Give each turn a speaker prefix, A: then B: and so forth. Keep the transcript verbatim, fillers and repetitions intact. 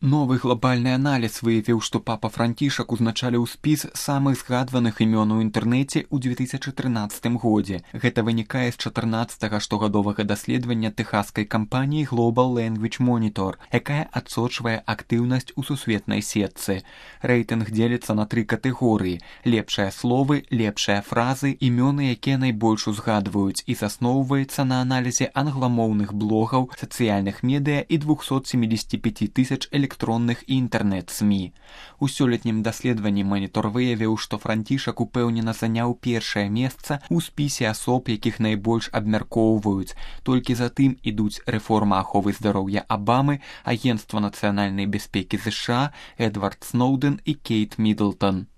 A: Новы глобальны аналіз выявіў, што папа Францішак узначаліў спіс самых згадваных імён у інтэрнэце ў дзве тысячы трынаццатым годзе. Гэта вынікае з чатырнаццатага штогадовага даследавання тэхаскай кампаніі Global Language Monitor, якая адсочвае актыўнасць у сусветнай сетцы. Рэйтынг дзеліцца на тры катэгорыі: лепшыя словы, лепшыя фразы, імёны, якія найбольш узгадваюць, і засноўваецца на аналізе англамоўных блогаў, сацыяльных медыа і двухсот семидесяти пяти тысяч электронных электронных і інтэрнэт-СМІ. У сёлетнім даследаванні манітор выявіў, што Францішак упэўнена заняў першае месца ў спісе асоб, якіх найбольш абмяркоўваюць. Толькі затым ідуць рэформа аховы здароўя Абамы, Агенцтва нацыянальнай бяспекі ЗША, Эдвард Сноўдэн і Кейт Мідлтон.